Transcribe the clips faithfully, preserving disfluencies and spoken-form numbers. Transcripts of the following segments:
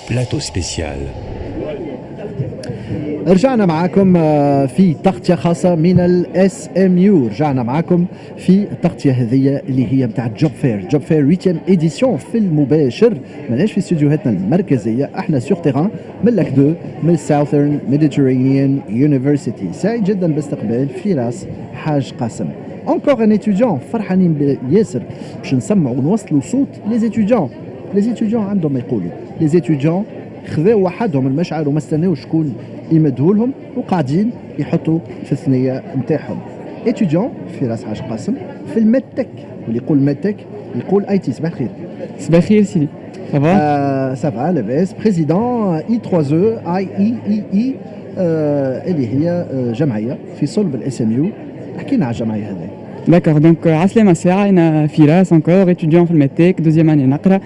Plateau spécial. رجعنا معاكم آه، في تغطية خاصة من ال SMU. رجعنا معاكم في التغطية هذه اللي هي نتاع Job Fair، Job Fair huitième édition، في المباشر. ماناش في استديوهاتنا المركزية، احنا sur terrain من Lac deux، من Southern Mediterranean University. سعيد جدا باستقبال فراس حاج قاسم، encore un étudiant. فرحانين ياسر باش نسمعوا ونوصلوا صوت les étudiants. Les étudiants عندهم ما يقولوا. Les étudiants خذاو وحدهم المشعل وما استناو شكون يمدهولهم لهم، وقاعدين يحطوا في الثنية نتاعهم. Étudiant فراس حاج قاسم في ال MedTech، واللي يقول MedTech يقول IT. صباح الخير. صباح الخير سيدي، ça va؟ Ça va، لاباس. Président I trois E I E E E، اللي هي آه، جمعية في صلب ال SMU. احكي لنا على الجمعية هذه. D'accord, donc عسلامة ساعة، أنا فراس encore étudiant في ال MedTech، deuxième année نقرا.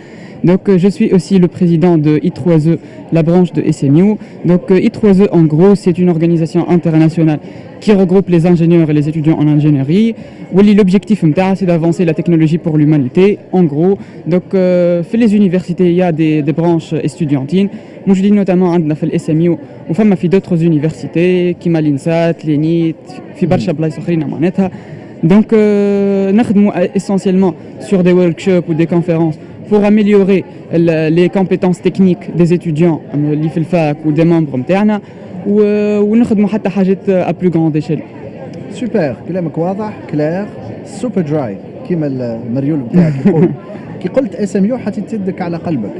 Donc je suis aussi le président de I trois E, la branche de S M U. Donc I trois E, en gros, c'est une organisation internationale qui regroupe les ingénieurs et les étudiants en ingénierie. واللي l'objectif نتاعها c'est d'avancer la technologie pour l'humanité, en gros. Donc euh, في les universités, il y a des, des branches estudiantines موجودين، notamment عندنا في ال SMU وفما في d'autres universités كيما l'INSAT، l'ENIT، في برشا بلايص اخرين معناتها. Donc euh, نخدموا essentiellement sur des workshops ou des conférences pour améliorer les compétences techniques des étudiants اللي في ال fac ou des membres نتاعنا، ونخدموا حتى حاجات à plus grande échelle. Super، كلامك واضح، clair، super dry، كيما المريول بتاعك يقول. كي قلت SMU حطيت يدك على قلبك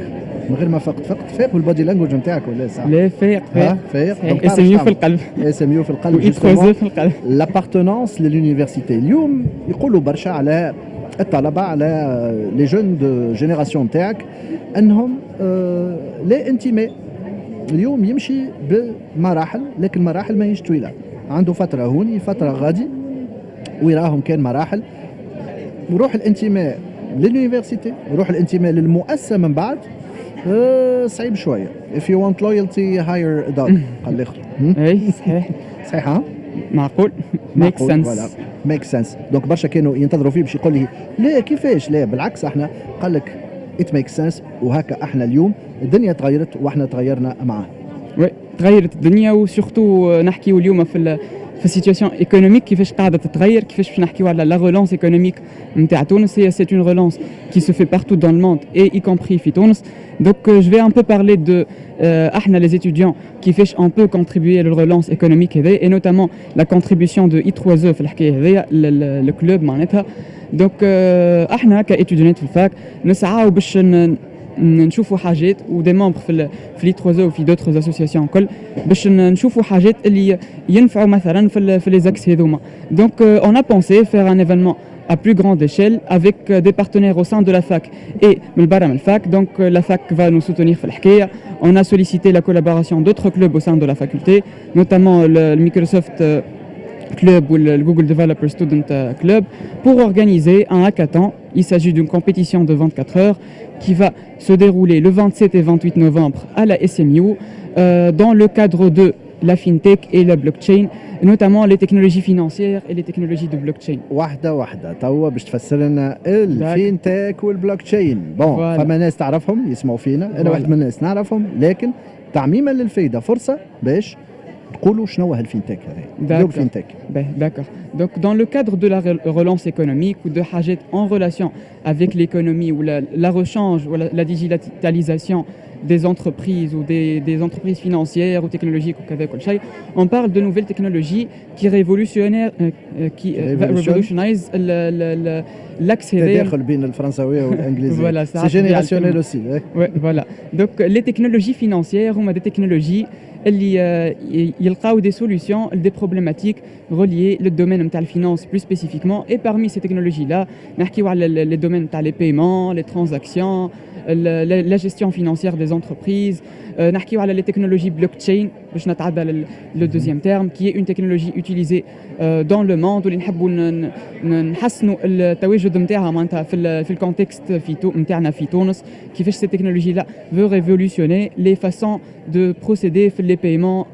من غير ما فقت. فقت فايق بال body language نتاعك ولا صح؟ لا، فايق فايق. فايق. SMU في القلب. SMU في القلب. و I trois E في القلب. L'appartenance لل université. اليوم يقولوا برشا على الطلبه، على les jeunes de génération نتاعك، انهم آه لا انتماء. اليوم يمشي بمراحل، لكن مراحل ماهيش طويله، عنده فترة هوني، فترة غادي، ويراهم كان مراحل. وروح الانتماء لل université، روح الانتماء للمؤسسه من بعد أه صعيب شويه. If you want loyalty, hire a dog، قال الاخر. اي صحيح. صحيح ها؟ معقول، make sense. Make sense. Donc برشا كانوا ينتظروا فيه باش يقول لي لا، كيفاش لا؟ بالعكس، احنا قال لك it make sense. وهكا احنا اليوم الدنيا تغيرت واحنا تغيرنا معاه. Oui، تغيرت الدنيا، و surtout نحكيو اليوم في في ال situation économique كيفاش قاعدة تتغير، كيفاش باش نحكيو على la relance économique نتاع تونس. هي c'est une relance qui se fait partout dans le monde et y compris في تونس. Donc je vais un peu parler de احنا les étudiants، كيفاش on peut contribuer لل relance économique هذا، et notamment la contribution de I trois E في الحكاية هذيا، ال club معناتها. Donc احنا ك étudiants في ال fac نسعاو باش نشوفوا حاجات، و des membres في في l'I trois E وفي d'autres associations الكل، باش نشوفوا حاجات اللي ينفعوا مثلا في في les axes هذوما. Donc on a pensé faire un événement à plus grande échelle avec des partenaires au sein de la fac et من برا من ال fac. Donc la fac va nous soutenir في الحكاية. On a sollicité la collaboration d'autres clubs au sein de la faculté, notamment le, le Microsoft Club ou le Google Developer Student Club, pour organiser un hackathon. Il s'agit d'une compétition de vingt-quatre heures qui va se dérouler le vingt-sept et vingt-huit novembre à la S M U euh, dans le cadre de la fintech et la blockchain, notamment les technologies financières et les technologies de blockchain. واحدة واحدة توا باش تفسر لنا ال fintech وال blockchain. Bon، فما ناس تعرفهم يسمعوا فينا، انا واحد من الناس نعرفهم، لكن تعميما للفايدة فرصة باش تقولوا شنو هو ال fintech هذا. ال fintech. D'accord. Donc dans le cadre de la relance économique ou de حاجات en relation avec l'économie ou la, la rechange ou la, la digitalisation des entreprises ou des, des entreprises financières ou technologiques ou كذا كل شيء, on parle de nouvelles technologies qui révolutionnent euh, qui révolutionnise l'accès. تداخل بين الفرنساويه والانجليزيه. Voilà. C'est générationnel aussi. Ouais, voilà. Donc les technologies financières هما des technologies اللي يلقاو des solutions, des problématiques reliées le domaine نتاع ال finance plus spécifiquement. Et parmi ces technologies là نحكيو على les domaines نتاع les paiements, les transactions, la gestion financière des entreprises. نحكيو على les technologies blockchain، باش نتعدى le deuxième terme, qui est une technologie utilisée dans le monde، واللي نحبوا نحسنوا التواجد نتاعها معناتها في في ال contexte في نتاعنا في تونس، كيفاش cette technologie là veut révolutionner les façons de procéder في les paiements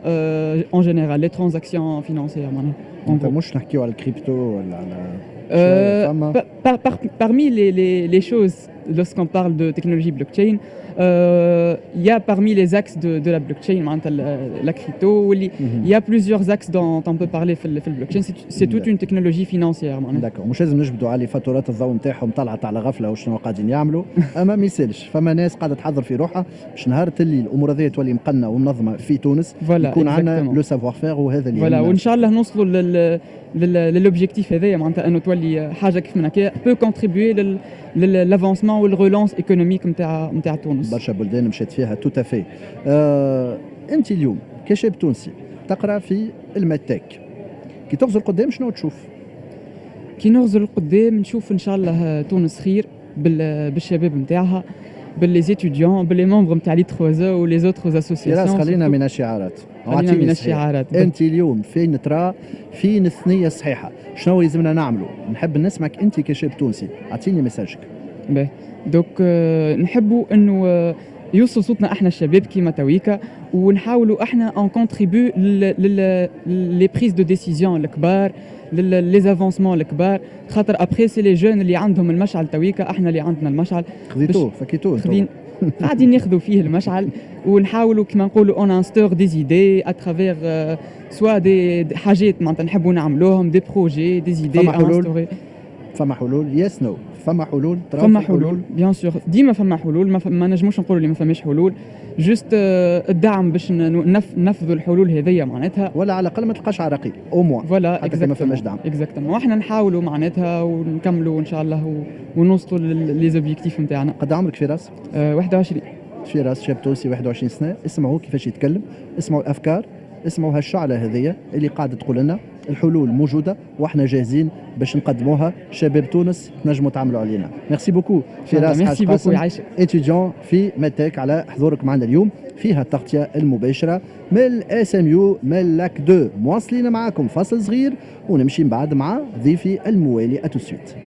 en général, les transactions financières معناها. انت مش نحكيو على الكريبتو ولا على Euh, par, par, parmi les, les, les choses, lorsqu'on parle de technologie blockchain, il y a parmi les axes de, de la blockchain معناتها la crypto واللي il y a plusieurs axes dont on peut parler في في ال blockchain. c'est toute une technologie financière معناتها. d'accord، مش لازم نجبدوا على فاتورات الضوء نتاعهم طلعت على غفلة وشنو قاعدين يعملوا، اما ما يسالش، فما ناس قاعدة تحضر في روحها باش نهار اللي الامور هذه تولي مقننه ومنظمة في تونس يكون عندنا le savoir-faire وهذا اللي voilà، وان شاء الله نوصلوا لل لل objectif هذايا، معناتها انه تولي حاجة كيف من هكا peut contribuer لل avancement وال relance économique نتاع نتاع تونس. برشا بلدان مشات فيها، tout à fait. آه، انت اليوم كشاب تونسي تقرا في ال MedTech، كي تغزر قدام شنو تشوف؟ كي نغزر قدام نشوف ان شاء الله تونس خير بالشباب نتاعها، ب les étudiants، ب les membres نتاع l'I trois E و les autres associations. خلينا من الشعارات. خلينا من الشعارات. انت اليوم فين ترى فين الثنية الصحيحه؟ شنو لازمنا نعملوا؟ نحب نسمعك انت كشاب تونسي، اعطيني message ك. باهي، donc نحبوا انه يوصل صوتنا احنا الشباب كيما تويكا، ونحاولوا احنا on contribue les prises de décision الكبار، les avancements الكبار، خاطر après c'est les jeunes اللي عندهم المشعل. تويكا احنا اللي عندنا المشعل. خذيتوه، فكيتوه. قاعدين ناخذوا فيه المشعل ونحاولوا كما نقولوا on instaure des idées à travers soit des حاجات معناتها نحبوا نعملوهم، des projets، des idées. فما حلول؟ فما حلول؟ yes، no، فما حلول؟ فما حلول bien sûr، ديما فما حلول. ما, ما نجموش نقولوا اللي ما فماش حلول، juste الدعم باش ننفذوا الحلول هذيا معناتها. ولا على الاقل ما تلقاش عراقيل au moins. voilà، حتى ما فماش دعم. exactement، واحنا نحاولوا معناتها ونكملوا ان شاء الله ونوصلوا les objectifs نتاعنا. قد عمرك فراس؟ أه واحد وعشرين. فراس شاب تونسي واحد وعشرين سنه، اسمعوا كيفاش يتكلم، اسمعوا الافكار، اسمعوا هالشعله هذيا اللي قاعدة تقول لنا الحلول موجودة واحنا جاهزين باش نقدموها. شباب تونس تنجموا تعملوا علينا. merci beaucoup فراس حاج قاسم، étudiant في MedTech، على حضورك معنا اليوم فيها التغطية المباشرة من ال SMU من Lac deux. مواصلين معاكم، فاصل صغير ونمشي من بعد مع ضيفي الموالي. à tout de suite.